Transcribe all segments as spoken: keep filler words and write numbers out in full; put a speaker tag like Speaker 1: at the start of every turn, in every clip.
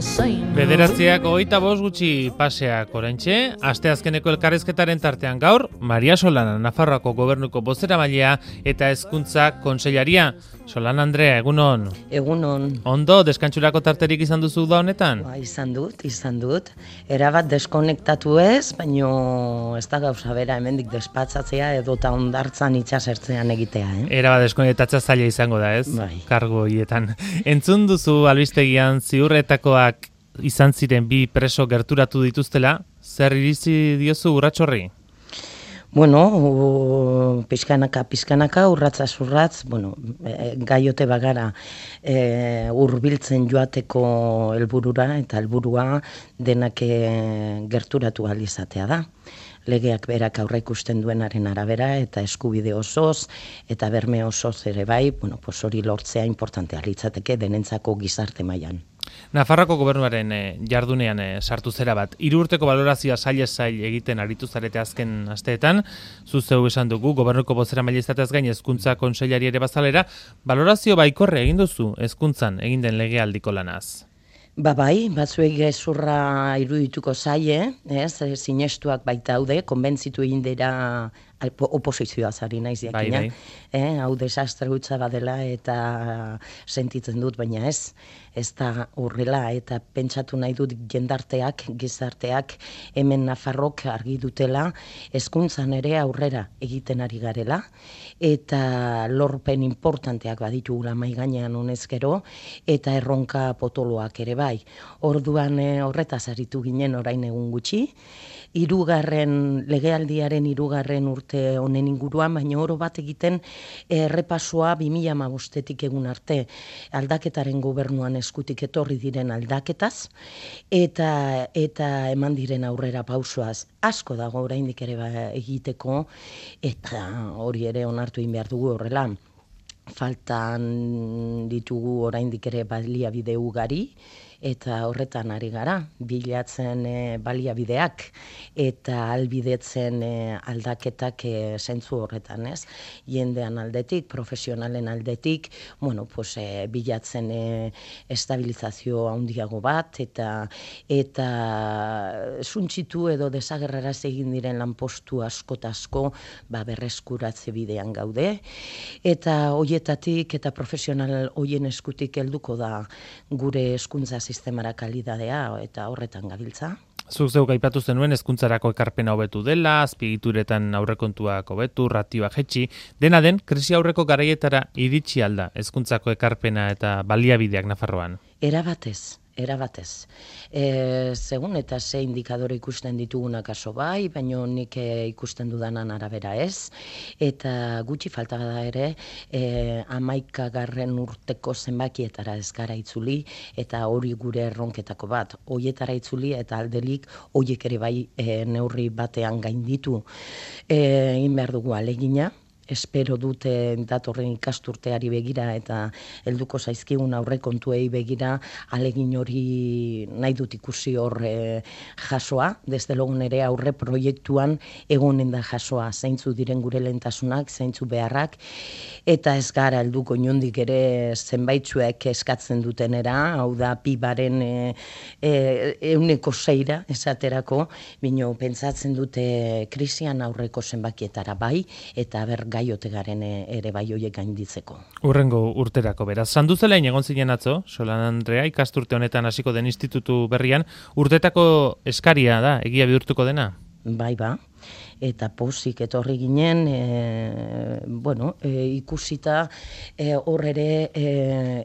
Speaker 1: Bederatziak hogeita bost gutxi paseak oraintxe, asteazkeneko elkarrizketaren tartean gaur, Maria Solana, Nafarroako Gobernuko bozeramailea eta hezkuntza kontseilaria. Solana Andrea, egunon.
Speaker 2: Egunon.
Speaker 1: Ondo, deskantsurako tarterik izan duzu da honetan?
Speaker 2: Ba, izan dut, izan dut. Erabat deskonektatu ez, baino ez da gauza bera hemendik despatzatzea edota ondartzan itxasertzean egitea, eh?
Speaker 1: Erabat deskonektatzea zaila izango da, ez?
Speaker 2: Bai.
Speaker 1: Kargo hietan. Entzun duzu albistegian ziurretakoak izan ziren bi preso gerturatu dituztela, zer iritzi diozu urratsorri?
Speaker 2: Bueno, u, pizkanaka, pizkanaka, urratza urratz, bueno, e, gaiote bagara e, hurbiltzen joateko helburura eta helburua denak e, gerturatu ahal izatea da. Legeak berak aurre ikusten duenaren arabera eta eskubide osoz eta berme osoz ere bai, bueno, pues hori lortzea importantea litzateke denentzako gizarte mailan.
Speaker 1: Nafarroako gobernuaren eh, jardunean eh, sartu zera bat. Hiru urteko balorazioa zail zail egiten aritu zarete azken asteetan. Zu zeu esan dugu, gobernuko bozeramaile izateaz gain hezkuntza kontseilari ere bazalera, balorazio baikorre egin duzu hezkuntzan egin den legealdiko lanaz.
Speaker 2: Ba bai, batzuek gezurra irudituko zaie, ez, sinestuak baita daude, konbentzitu egin dira oposizioa zari naiz jakina.
Speaker 1: Bai, bai.
Speaker 2: Eh, hau desastre hutsa badela eta sentitzen dut, baina ez, ez da horrela eta pentsatu nahi dut jendarteak, gizarteak, hemen Nafarrok argi dutela, hezkuntzan ere aurrera egiten ari garela, eta lorpen importanteak baditugula mahai gainean honez gero, eta erronka potoloak ere bai. Orduan eh, horretaz aritu ginen orain egun gutxi, hirugarren legealdiaren hirugarren urte honen inguruan, baina oro bat egiten errepasoa bi mila hamabostetik egun arte aldaketaren gobernuan eskutik etorri diren aldaketaz eta eta eman diren aurrera pausoaz. Asko dago oraindik ere ba, egiteko eta hori ere onartu egin behar dugu horrela. Faltan ditugu oraindik ere baliabide ugari eta horretan ari gara, bilatzen e, baliabideak eta albidetzen e, aldaketak e, zentzu horretan, ez? Jendean aldetik, profesionalen aldetik, bueno, pues, e, bilatzen e, estabilizazio handiago bat eta eta suntsitu edo desagerraraz egin diren lanpostu asko eta asko ba, berreskuratze bidean gaude eta hoietatik eta profesional hoien eskutik helduko da gure hezkuntza sistemara kalidadea eta horretan gabiltza.
Speaker 1: Zuk zeuk aipatu zenuen hezkuntzarako ekarpena hobetu dela, azpiegituretan aurrekontuak hobetu, ratioa jetxi, dena den krisi aurreko garaietara iritsi alda hezkuntzako ekarpena eta baliabideak Nafarroan.
Speaker 2: Erabatez. Erabatez. E, segun eta ze indikadore ikusten ditugunak aso bai, baina nik e, ikusten dudanan arabera ez. Eta gutxi falta da ere, e, hamaikagarren urteko zenbakietara ez gara itzuli, eta hori gure erronketako bat. Hoietara itzuli eta aldelik hoiek ere bai e, neurri batean gainditu. E, egin behar dugu alegina. Espero dute datorren ikasturteari begira eta helduko zaizkigun aurrekontuei begira alegin hori nahi dut ikusi hor e, jasoa, desde logo nere aurre proiektuan egonen da jasoa, zeintzu diren gure lehentasunak, zeintzu beharrak, eta ez gara helduko inondik ere zenbaitzuek eskatzen dutenera, hau da pibaren e, e, euneko zeira esaterako, bino pentsatzen dute krisian aurreko zenbakietara bai, eta ber gaiote garen ere bai hoiek gainditzeko.
Speaker 1: Urrengo urterako beraz. Sanduzelain egon zinen atzo, Solana Andrea, ikasturte honetan hasiko den institutu berrian, urtetako eskaria da, egia bihurtuko dena?
Speaker 2: Bai ba, eta pozik etorri ginen, e, bueno, e, ikusita e, hor ere e,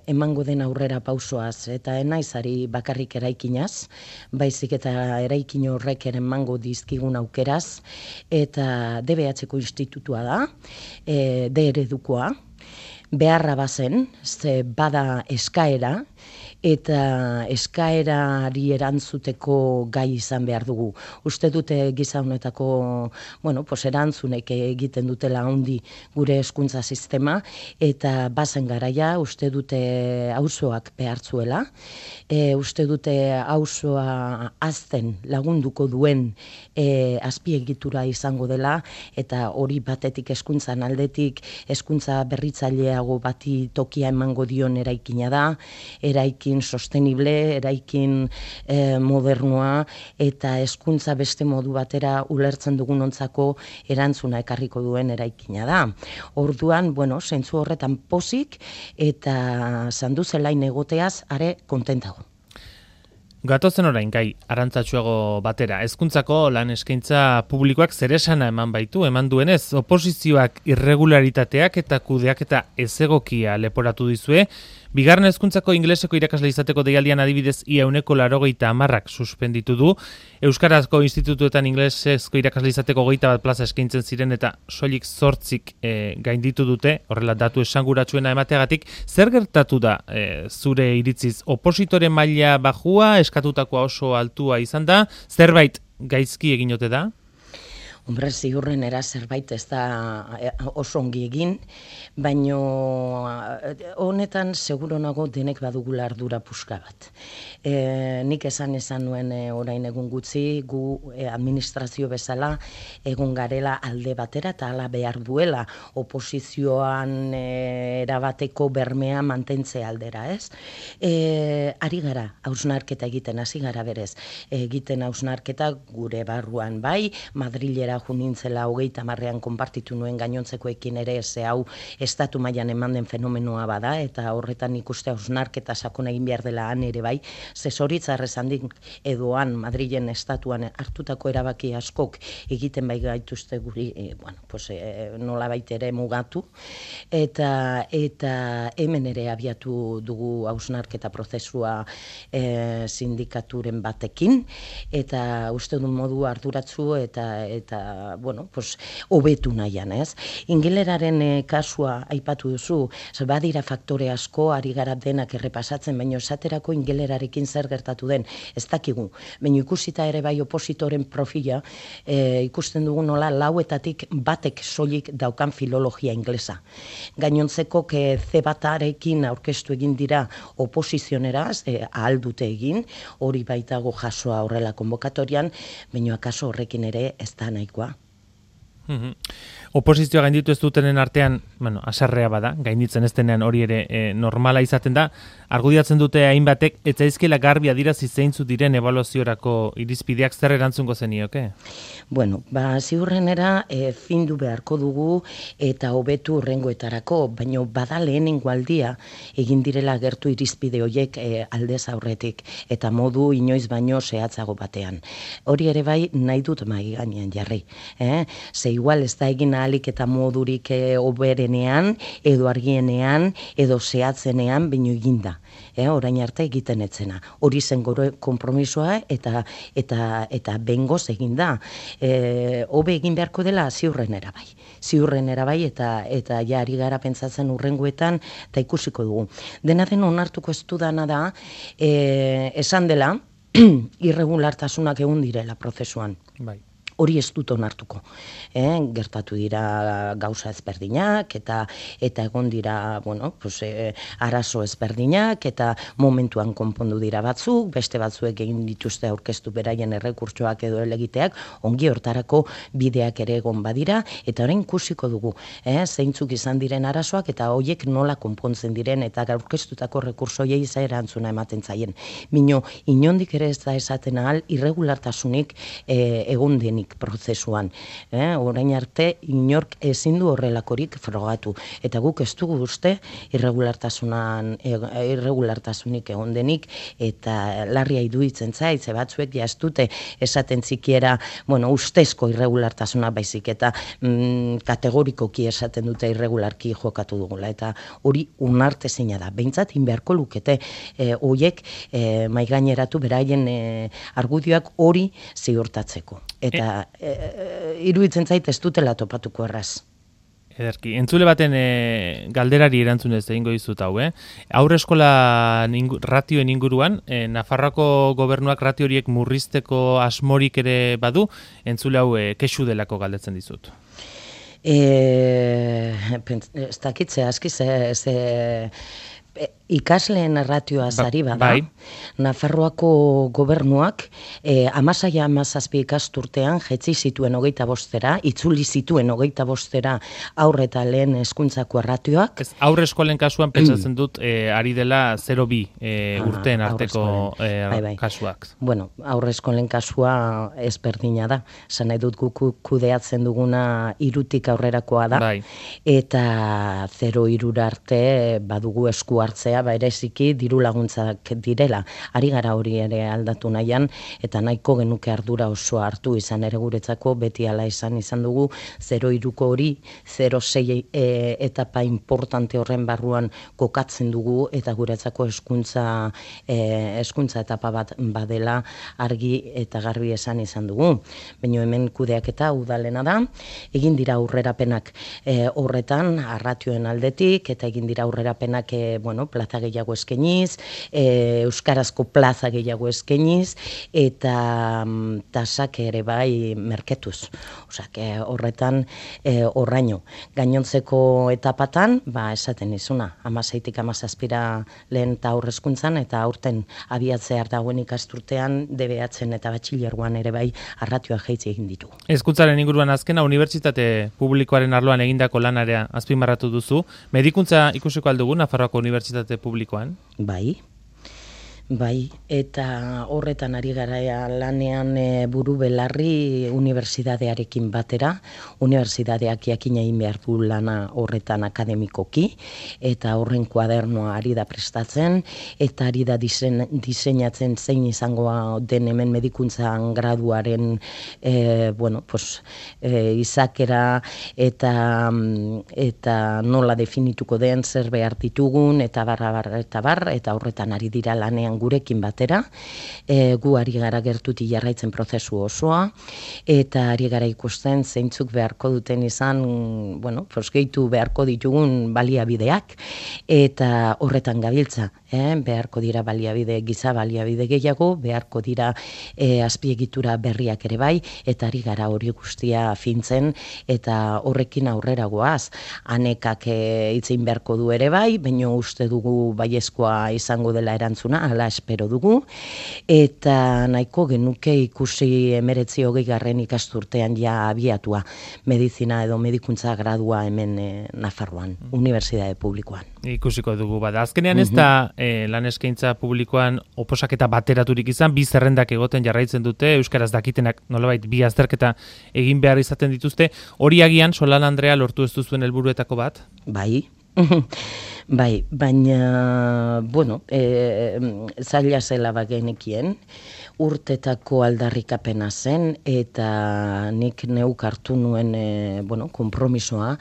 Speaker 2: emango den aurrera pausoaz, eta enaizari bakarrik eraikinaz, baizik eta eraikin horrek ere emango dizkigun aukeraz, eta D B H-ko institutua da, e, D eredukoa, beharra bazen, ze bada eskaera, eta eskaerari erantzuteko gai izan behar dugu. Uste dute giza honetako, bueno, pues erantzunek egiten dutela handi gure hezkuntza sistema, eta bazen garaia, uste dute auzoak behartzuela, e, uste dute auzoa hazten lagunduko duen e, azpiegitura izango dela, eta hori batetik hezkuntzan aldetik, hezkuntza berritzaileago bati tokia emango dion eraikina da, eraikin sostenible, eraikin e, modernua, eta hezkuntza beste modu batera ulertzen dugunontzako erantzuna ekarriko duen eraikina da. Orduan, bueno, zentzu horretan pozik, eta zandu zelain egoteaz, are kontentago.
Speaker 1: Gatozen orain, gai, arantzatsuago batera. Hezkuntzako lan eskaintza publikoak zeresana eman baitu, eman duenez, oposizioak irregularitateak eta kudeak eta ezegokia leporatu dizue. Bigarren hezkuntzako ingeleseko irakasle izateko deialdian adibidez ia ehuneko laurogeita hamarrak suspenditu du. Euskarazko institutuetan ingelesezko irakasle izateko hogeita bat plaza eskaintzen ziren eta soilik zortzik e, gainditu dute, horrela datu esanguratsuena emateagatik. Zer gertatu da e, zure iritziz? Opositore maila bajua, eskatutakoa oso altua izan da, zerbait gaizki egin ote da?
Speaker 2: Hombre, ziurrenera zerbait ez da oso ongi egin, baino honetan seguro nago denek badugula ardura puska bat. E, nik esan esan nuen e, orain egun gutxi, gu e, administrazio bezala egun garela alde batera eta hala behar duela oposizioan e, erabateko bermea mantentze aldera, ez? E, ari gara, hausnarketa egiten, hasi gara berez. Egiten hausnarketa gure barruan bai, Madrilera junintzela hogeita marrean konpartitu nuen gainontzekoekin ere, ze hau estatu mailan eman den fenomenoa bada, eta horretan ikuste hausnarketa sakon egin behar dela han ere bai, ze zoritzarrez handik edoan Madrilen estatuan hartutako erabaki askok egiten bai gaituzte guri, e, bueno, pues, e, nola baita ere mugatu, eta, eta hemen ere abiatu dugu hausnarketa prozesua e, sindikaturen batekin, eta uste dut modu arduratsu eta, eta bueno, pues, hobetu nahian, ez? Ingeleraren e, kasua aipatu duzu, badira faktore asko, ari gara denak errepasatzen, baina esaterako ingelerarekin zer gertatu den, ez dakigu. Baina ikusita ere bai opositoren profila, e, ikusten dugu nola lauetatik batek soilik daukan filologia inglesa. Gainontzeko ke ze batarekin aurkeztu egin dira oposizioneraz, e, ahal dute egin, hori baitago jasoa horrela konbokatorian, baina akaso horrekin ere ez da nahikoa.
Speaker 1: Mm-hmm. Oposizioa gainditu ez dutenen artean, bueno, asarrea bada, gainditzen ez denean hori ere e, normala izaten da, argudiatzen dute hainbatek, ez zaizkiela garbi adirazi zeintzu diren ebaluaziorako irizpideak zer erantzungo zenioke?
Speaker 2: Bueno, ba, ziurrenera e, findu beharko dugu eta hobetu hurrengoetarako, baino bada lehenengo aldia egin direla gertu irizpide horiek e, aldez aurretik, eta modu inoiz baino zehatzago batean. Hori ere bai nahi dut mai gainean jarri. Eh? Ze igual ez da egin ahalik eta modurik e, oberenean, edo argienean, edo zehatzenean, baino eginda. Eh, orain arte egiten etzena. Hori zen gore konpromisoa eta eta eta bengoz egin da. Eh, hobe egin beharko dela ziurrenera bai. Ziurrenera bai eta eta ja ari gara pentsatzen hurrengoetan eta ikusiko dugu. Dena den onartuko ez dudana da, eh, esan dela irregulartasunak egon direla prozesuan.
Speaker 1: Bai.
Speaker 2: Hori ez dut onartuko. Eh, gertatu dira gauza ezberdinak, eta eta egon dira, bueno, pues, eh, arazo ezberdinak, eta momentuan konpondu dira batzuk, beste batzuek egin dituzte aurkeztu beraien errekurtsoak edo elegiteak, ongi hortarako bideak ere egon badira, eta orain ikusiko dugu, eh, zeintzuk izan diren arazoak, eta hoiek nola konpontzen diren, eta aurkeztutako rekursoiei za erantzuna ematen zaien. Mino, inondik ere ez da esaten ahal, irregulartasunik eh, egon denik prozesuan. Eh? Orain arte, inork ezin du horrelakorik frogatu. Eta guk ez dugu uste irregulartasunan, irregulartasunik egon denik, eta larria iruditzen zait, ze batzuek ja ez dute esaten zikiera, bueno, ustezko irregulartasuna baizik, eta mm, kategorikoki esaten dute irregularki jokatu dugula. Eta hori unartezina da. Behintzat, inbeharko lukete eh, oiek eh, maigaineratu beraien eh, argudioak hori ziurtatzeko. Eta e, e, iruditzen zait ez dutela topatuko erraz.
Speaker 1: Ederki, entzule baten e, galderari erantzunez egingo dizut hau, eh? Haur eskola ningu, ratioen inguruan, e, Nafarroako gobernuak ratio horiek murrizteko asmorik ere badu, entzule hau e, kexu delako galdetzen dizut.
Speaker 2: E, ez dakitze, aski ze... ze Ikasleen erratioa zari
Speaker 1: Ba-
Speaker 2: bada,
Speaker 1: bai.
Speaker 2: Nafarroako gobernuak eh, amasaia amazazpi ikasturtean jetzi zituen hogeita bostera, itzuli zituen hogeita bostera aurre eta lehen hezkuntzako erratioak.
Speaker 1: Ez, aurre eskolen kasuan pentsatzen dut eh, ari dela zero bi eh,
Speaker 2: Ah,
Speaker 1: urteen
Speaker 2: aurre
Speaker 1: arteko
Speaker 2: eskolen.
Speaker 1: eh,
Speaker 2: Bai, bai.
Speaker 1: kasuak.
Speaker 2: Bueno, aurre eskolen kasua ezberdina da. Zan nahi dut guk kudeatzen duguna irutik aurrerakoa da.
Speaker 1: Bai.
Speaker 2: Eta zero irura arte badugu esku hartzea, bereziki diru laguntzak direla. Ari gara hori ere aldatu nahian, eta nahiko genuke ardura osoa hartu izan ere guretzako, beti ala izan izan dugu, zero iruko hori, zero sei e, etapa importante horren barruan kokatzen dugu, eta guretzako hezkuntza e, hezkuntza etapa bat badela argi eta garbi esan izan dugu. Baina hemen kudeaketa udalena da, egin dira aurrerapenak e, horretan, arratioen aldetik, eta egin dira aurrerapenak e, bueno, plaza gehiago eskainiz, e, euskarazko plaza gehiago eskainiz, eta mm, tasak ere bai merketuz. Osak, e, horretan e, horraino. Gainontzeko etapatan, ba, esaten izuna, amaseitik amazazpira lehen eta aurrezkuntzan, eta aurten abiatzear dagoen ikasturtean, D B H-en eta batxilergoan ere bai arratioa jeitzi egin ditu.
Speaker 1: Hezkuntzaren inguruan azkena unibertsitate publikoaren arloan egindako lanarea azpimarratu duzu. Medikuntza ikusiko aldugu Nafarroako Unibertsitate Publikoan?
Speaker 2: Bai. Bai, eta horretan ari gara lanean e, buru belarri unibertsitatearekin batera, unibertsitateak jakin egin behar du lana horretan akademikoki, eta horren kuadernoa ari da prestatzen, eta ari da disein, diseinatzen zein izango den hemen medikuntzan graduaren e, bueno, pues, e, izakera eta, eta nola definituko den zer behar ditugun, eta barra barra eta bar, eta horretan ari dira lanean gurekin batera, e, gu ari gara gertutik jarraitzen prozesu osoa, eta ari gara ikusten zeintzuk beharko duten izan, bueno, pues, gehitu beharko ditugun baliabideak, eta horretan gabiltza, eh? Beharko dira baliabide, giza baliabide gehiago, beharko dira e, azpiegitura berriak ere bai, eta ari gara hori guztia fintzen, eta horrekin aurrera goaz. Anekak e, itzein beharko du ere bai, baina uste dugu baiezkoa izango dela erantzuna, ala espero dugu, eta nahiko genuke ikusi emeretzi hogei garren ikasturtean ja abiatua medizina edo medikuntza gradua hemen e, Nafarroan, Unibertsitate Publikoan.
Speaker 1: Ikusiko dugu bada. Azkenean ez da eh, lan eskaintza publikoan oposaketa bateraturik izan, bi zerrendak egoten jarraitzen dute, euskaraz dakitenak nolabait bi azterketa egin behar izaten dituzte. Hori agian, Solan Andrea, lortu ez duzuen helburuetako bat?
Speaker 2: Bai. Bai, baina, bueno, e, zaila zela bagenekien, urtetako aldarrikapena zen, eta nik neuk hartu nuen, e, bueno, konpromisoa,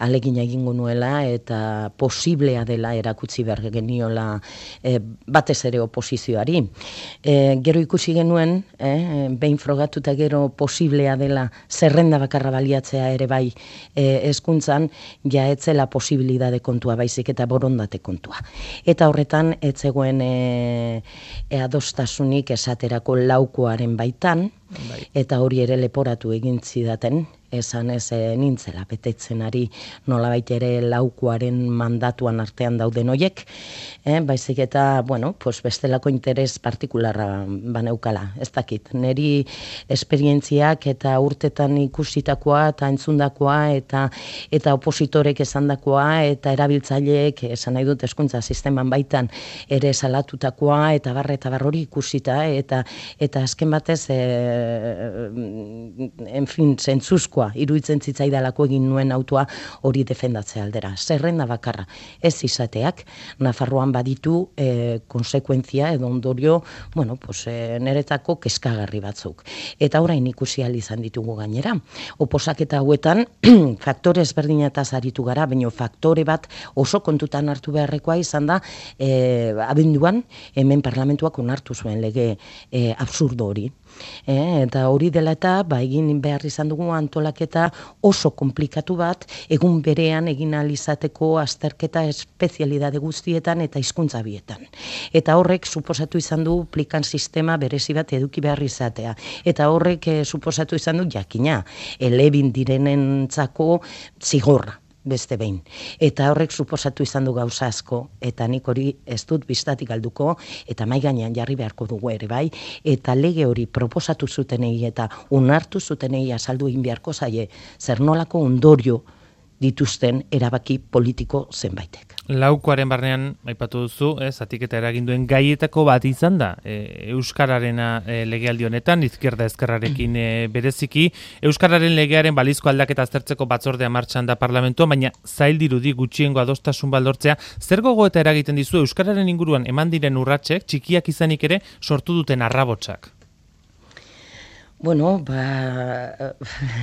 Speaker 2: alegin egingo nuela, eta posiblea dela erakutsi behar geniola e, batez ere oposizioari. E, gero ikusi genuen, e, behin frogatuta gero posiblea dela zerrenda bakarra baliatzea ere bai e, hezkuntzan, ja etzela posibilidade kontua baizik eta borondate kontua. Eta horretan, ez zegoen e, e adostasunik esaterako laukoaren baitan, bai. Eta hori ere leporatu egin zidaten, esan ez e, nintzela betetzen ari nolabait ere laukoaren mandatuan artean dauden hoiek, eh, baizik eta, bueno, pues bestelako interes partikularra baneukala, ez dakit. Neri esperientziak eta urtetan ikusitakoa eta entzundakoa eta eta opositorek esandakoa eta erabiltzaileek esan nahi dut hezkuntza sisteman baitan ere salatutakoa eta barre eta bar hori ikusita eta eta azken batez e, en fin, zentzuzkoa iruditzen zitzaidalako egin nuen autua hori defendatzea aldera. Zerrenda bakarra ez izateak Nafarroan baditu e, konsekuentzia edo ondorio, bueno, pues, e, niretako kezkagarri batzuk. Eta orain ikusi ahal izan ditugu gainera. Oposaketa hauetan faktore ezberdinetaz aritu gara, baina faktore bat oso kontutan hartu beharrekoa izan da e, abenduan hemen parlamentuak onartu zuen lege e, absurdo hori. E, eta hori dela eta ba, egin behar izan dugu antolaketa oso komplikatu bat, egun berean egin ahal izateko azterketa espezialidade guztietan eta hizkuntza bietan. Eta horrek suposatu izan du plikan sistema berezi bat eduki behar izatea. Eta horrek eh, suposatu izan du jakina, elebin direnentzako zigorra. beste behin. Eta horrek suposatu izan du gauza asko, eta nik hori ez dut bistatik galduko, eta mai gainean jarri beharko dugu ere bai, eta lege hori proposatu zutenei eta onartu zutenei azaldu egin beharko zaie, zer nolako ondorio dituzten erabaki politiko zenbaitek.
Speaker 1: Laukoaren barnean, aipatu duzu, ez, zatiketa eraginduen gaietako bat izan da, e, Euskararena e, legealdi honetan, izquierda ezkerrarekin e, bereziki, Euskararen legearen balizko aldaketa aztertzeko batzordea martxan da parlamentua, baina zail dirudi gutxiengo adostasun baldortzea, zer gogoeta eragiten dizu Euskararen inguruan eman diren urratsek, txikiak izanik ere, sortu duten arrabotsak?
Speaker 2: Bueno, ba,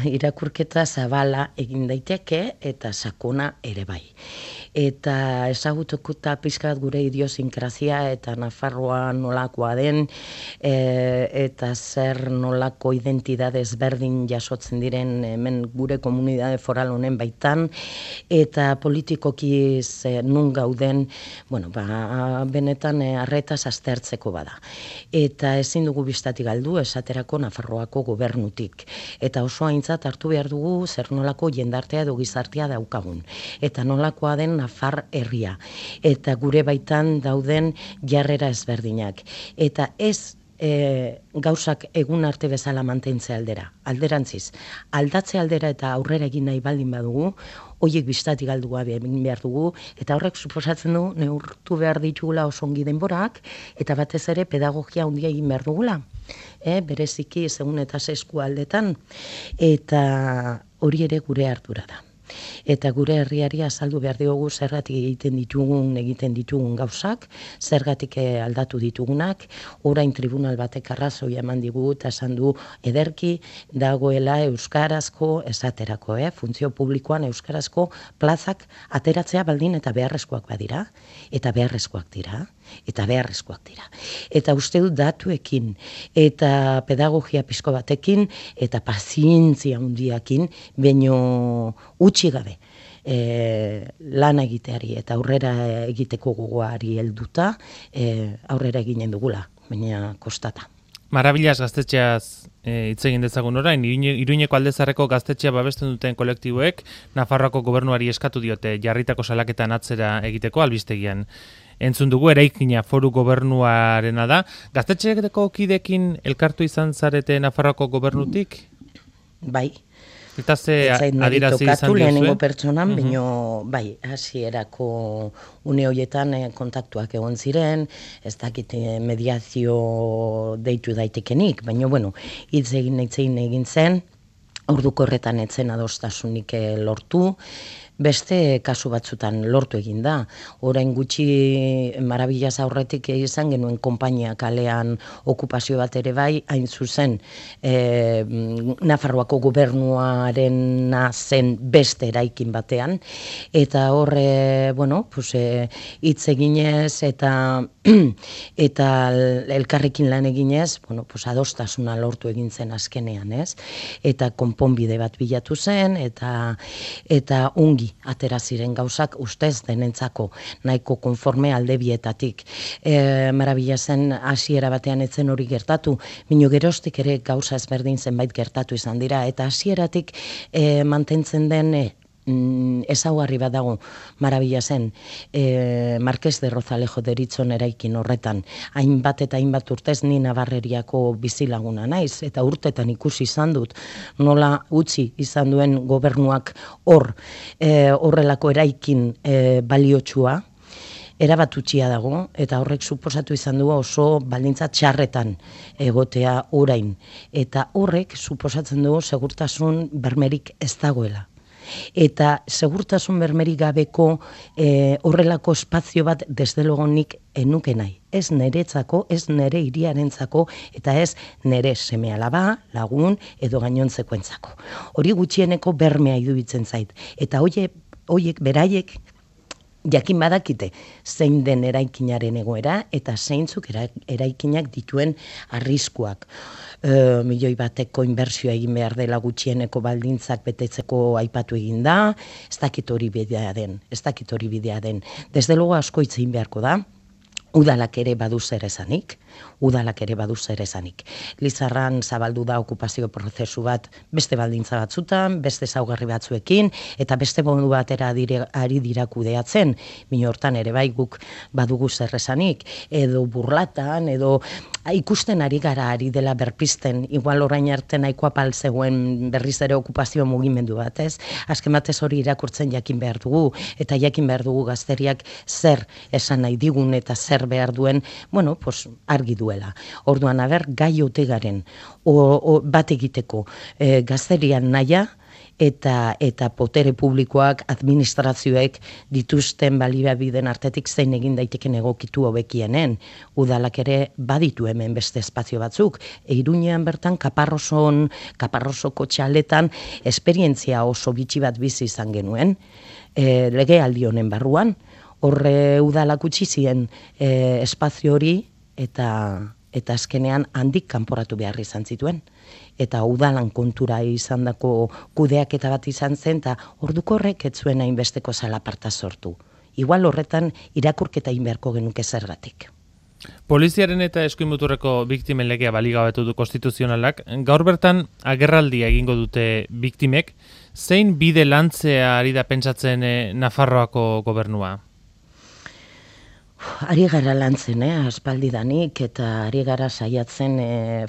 Speaker 2: irakurketa zabala egin daiteke eta sakona ere bai. Eta ezagutukuta pizkat gure idiosinkrazia eta Nafarroa nolakoa den e, eta zer nolako identitate ezberdin jasotzen diren hemen gure komunitate foral honen baitan eta politikoki ze nun gauden, bueno, ba, benetan arretaz aztertzeko bada. Eta ezin dugu bistatik galdu esaterako Nafarroako gobernutik. Eta oso aintzat hartu behar dugu zer nolako jendartea edo gizartea daukagun. Eta nolakoa den Nafar herria. Eta gure baitan dauden jarrera ezberdinak. Eta ez e, gauzak egun arte bezala mantentze aldera. Alderantziz, aldatze aldera eta aurrera egin nahi baldin badugu, hoiek bistatik galdu gabe egin behar dugu, eta horrek suposatzen du neurtu behar ditugula oso ongi denborak, eta batez ere pedagogia handia egin behar dugula. E, bereziki segun eta zesku aldetan, eta hori ere gure ardura da. Eta gure herriari azaldu behar diogu zergatik egiten ditugun, egiten ditugun gauzak, zergatik aldatu ditugunak, orain tribunal batek arrazoi eman digu eta esan du ederki dagoela euskarazko esaterako, eh? Funtzio publikoan euskarazko plazak ateratzea baldin eta beharrezkoak badira, eta beharrezkoak dira. Eta beharrezkoak dira. Eta uste dut datuekin, eta pedagogia pizko batekin, eta pazientzia handiakin, baino utzi gabe e, lan egiteari eta aurrera egiteko gogoari helduta e, aurrera eginen dugula, baina kostata.
Speaker 1: Marabillas gaztetxeaz hitz egin dezagun orain, Iruñeko Aldezarreko gaztetxea babesten duten kolektiboek Nafarroako gobernuari eskatu diote jarritako salaketan atzera egiteko albistegian. Entzun dugu eraikina foru gobernuarena da. Gaztetxeetako kidekin elkartu izan zarete Nafarroako gobernutik?
Speaker 2: Bai.
Speaker 1: Eta ze adirazi izan duzu?
Speaker 2: Lehenengo pertsonan, uh-huh. Baino, bai, hasierako une horietan eh, kontaktuak egon ziren, ez dakit mediazio deitu daitekenik, baina, bueno, hitz egin egin egin zen, orduko horretan etzen adostasunik lortu, beste kasu batzutan lortu egin da. Orain gutxi Marabillas aurretik izan genuen konpainia kalean okupazio bat ere bai, hain zuzen e, Nafarroako gobernuarena zen beste eraikin batean, eta horre, bueno, pues, e, hitz eginez eta eta elkarrekin lan eginez, bueno, pues, adostasuna lortu egin zen azkenean, ez? Eta konponbide bat bilatu zen, eta eta ongi atera ziren gauzak ustez denentzako nahiko konforme alde bietatik. E, Marabillasen hasiera batean etzen hori gertatu, mino geroztik ere gauza ezberdin zenbait gertatu izan dira, eta hasieratik e, mantentzen den e, ezaugarri bat dago Marabillasen, e, Marqués de Rozalejo deritzon eraikin horretan, hainbat eta hainbat urtez ni Nabarreriako bizilaguna naiz, eta urtetan ikusi izan dut, nola utzi izan duen gobernuak hor, e, horrelako eraikin e, baliotsua, erabat utxia dago, eta horrek suposatu izan du oso baldintza txarretan egotea orain, eta horrek suposatzen du segurtasun bermerik ez dagoela. Eta segurtasun bermerik gabeko e, horrelako espazio bat desde logo nik enuke nahi. Ez neretzako, ez nere hiriarentzako, eta ez nere seme alaba, lagun edo gainontzekoentzako. Hori gutxieneko bermea iruditzen zait. Eta hoiek, hoiek beraiek jakin badakite zein den eraikinaren egoera eta zeintzuk eraikinak dituen arriskuak. E, milioi bateko inbertsioa egin behar dela gutxieneko baldintzak betetzeko aipatu egin da, ez dakit hori bidea den, ez dakit hori bidea den. Desde logo asko hitz egin beharko da, udalak ere badu zer esanik, udalak ere badu zer esanik. Lizarran zabaldu da okupazio prozesu bat beste baldintza batzutan, beste zaugarri batzuekin, eta beste modu batera dire, ari dira kudeatzen, bino hortan ere bai guk badugu zer esanik, edo burlatan, edo ikusten ari gara ari dela berpisten, igual orain arte nahikoa pal zegoen berriz ere okupazio mugimendu bat, ez? Azken batez hori irakurtzen jakin behar dugu, eta jakin behar dugu gazteriak zer esan nahi digun eta zer behar duen, bueno, pues, argi duela. Orduan, aber, gai ote garen, o, o, bat egiteko e, gazterian naia, eta eta potere publikoak, administrazioek dituzten baliabideen artetik zein egin daiteken egokitu hobekienen. Udalak ere baditu hemen beste espazio batzuk. Iruñean bertan Kaparroson, Kaparrosoko txaletan esperientzia oso bitxi bat bizi izan genuen, e, legealdi honen barruan. Horre udalak utzi zien e, espazio hori eta eta azkenean handik kanporatu behar izan zituen. Eta udalan kontura izan dako kudeaketa bat izan zen, eta orduko horrek ez zuen hainbesteko zalaparta sortu. Igual horretan irakurketa egin beharko genuke zergatik.
Speaker 1: Poliziaren eta eskuin muturreko biktimen legea baligabetu du konstituzionalak. Gaur bertan agerraldia egingo dute biktimek. Zein bide lantzea ari da pentsatzen eh, Nafarroako gobernua?
Speaker 2: Ari gara lantzen, eh, aspaldidanik, eta ari gara saiatzen eh,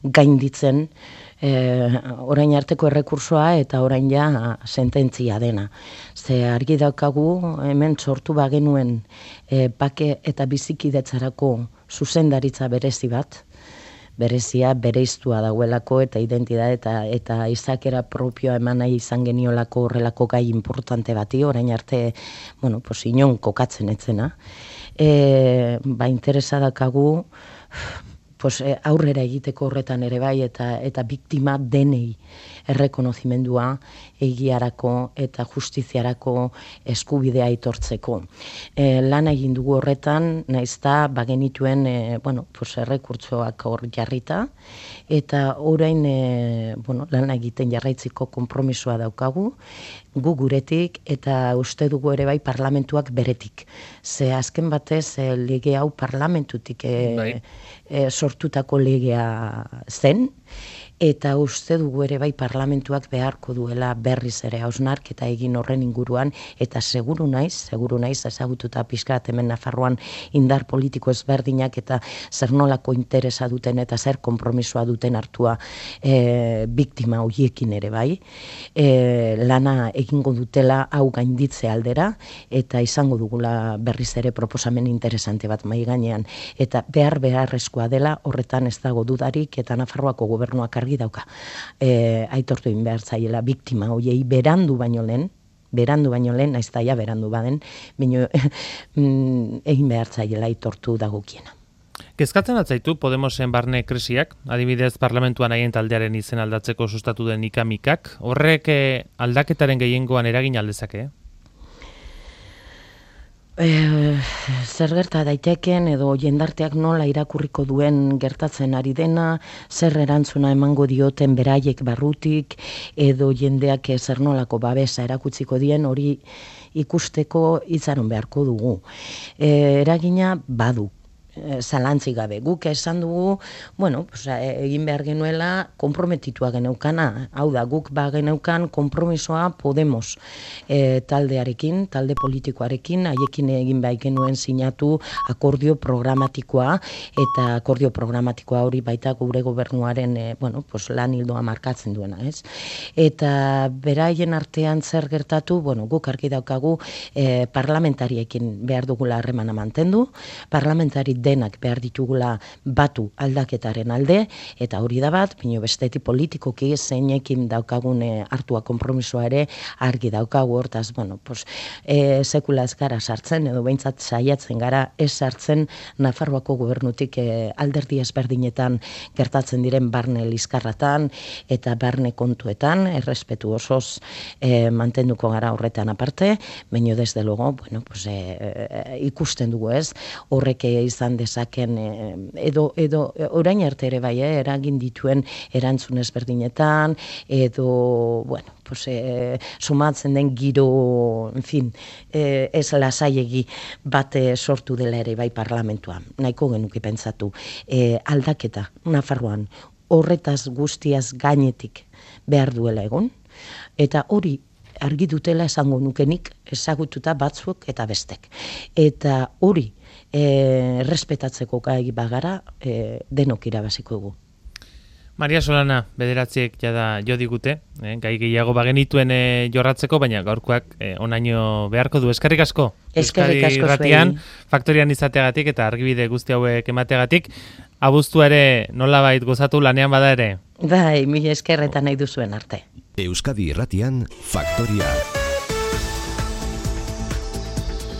Speaker 2: gainditzen eh, orain arteko errekursoa eta orain ja sententzia dena. Ze argi daukagu hemen sortu bagenuen eh, bake eta bizikidetzarako zuzendaritza berezi bat, berezia bereiztua dauelako eta identitate eta eta izakera propioa eman nahi izan geniolako horrelako gai importante bati, orain arte, bueno, pues inon kokatzen etzena. E, ba, interesa dakagu pues, e, aurrera egiteko horretan ere bai eta eta biktima denei errekonozimendua egiarako eta justiziarako eskubidea aitortzeko. E, lan egin dugu horretan, naizta bagenituen e, bueno, pues, errekurtsoak hor jarrita, eta orain e, bueno, lan egiten jarraitziko konpromisoa daukagu, gu guretik eta uste dugu ere bai parlamentuak beretik. Ze azken batez e, lege hau parlamentutik e, bai. e, sortutako legea zen, eta uste dugu ere bai parlamentuak beharko duela berriz ere hausnarketa egin horren inguruan, eta seguru naiz, seguru naiz ezagututa pixkat hemen Nafarroan indar politiko ezberdinak eta zer nolako interesa duten eta zer konpromisoa duten hartua e, biktima horiekin ere bai, e, lana egingo dutela hau gainditze aldera, eta izango dugula berriz ere proposamen interesante bat mai gainean, eta behar beharrezkoa dela horretan ez dago dudarik, eta Nafarroako gobernuak argi dauka. E, aitortu egin behar zaiela biktima hoiei berandu baino lehen, berandu baino lehen, naiz daia berandu baden, baino egin behar zaiela aitortu dagokiena.
Speaker 1: Kezkatzen atzaitu Podemosen barne krisiak, adibidez parlamentuan haien taldearen izen aldatzeko sustatu den ikamikak, horrek aldaketaren gehiengoan eragin aldezake?
Speaker 2: E, zer gerta daiteken edo jendarteak nola irakurriko duen gertatzen ari dena, zer erantzuna emango dioten beraiek barrutik, edo jendeak zer nolako babesa erakutziko dien, hori ikusteko itzaron beharko dugu. E, eragina badu. Zalantzik gabe. Guk esan dugu, bueno, pues, egin behar genuela konprometitua geneukana. Hau da, guk ba geneukan konpromisoa Podemos e, taldearekin, talde politikoarekin, haiekin egin behar genuen sinatu akordio programatikoa, eta akordio programatikoa hori baita gure gobernuaren e, bueno, pues, lan hildoa markatzen duena, ez? Eta beraien artean zer gertatu, bueno, guk argi daukagu e, parlamentariekin behar dugula harremana mantendu, parlamentari denak behar ditugula batu aldaketaren alde, eta hori da bat, bino bestetik politikoki zeinekin daukagune hartua konpromisoa ere argi daukagu hortaz, bueno, pues, e, sekula ez gara sartzen, edo behintzat saiatzen gara ez sartzen Nafarroako gobernutik e, alderdi ezberdinetan gertatzen diren barne liskarratan eta barne kontuetan, errespetu osoz e, mantenduko gara horretan aparte, baino desde luego, bueno, pues, e, e, ikusten dugu ez, horrek izan izan dezaken, edo, edo orain arte ere bai, eh, eragin dituen erantzun ezberdinetan, edo, bueno, pues, eh, sumatzen den giro, en fin, eh, ez lasaiegi bat sortu dela ere bai parlamentua. Nahiko genuke pentsatu. Eh, aldaketa, Nafarroan, horretaz guztiaz gainetik behar duela egon, eta hori argi dutela esango nukenik ezagututa batzuk eta bestek. Eta hori e, respetatzeko gai bagara e, denok irabaziko dugu.
Speaker 1: Maria Solana, bederatziek jada jo digute, eh, gai gehiago bagenituen eh, jorratzeko, baina gaurkoak eh, onaino beharko du. Eskerrik asko.
Speaker 2: Eskerrik asko
Speaker 1: Irratian, faktorian izateagatik eta argibide guzti hauek emateagatik, abuztua ere nolabait gozatu lanean bada ere.
Speaker 2: Bai, mila eskerretan nahi duzuen arte.
Speaker 3: Euskadi Irratian, Faktoria.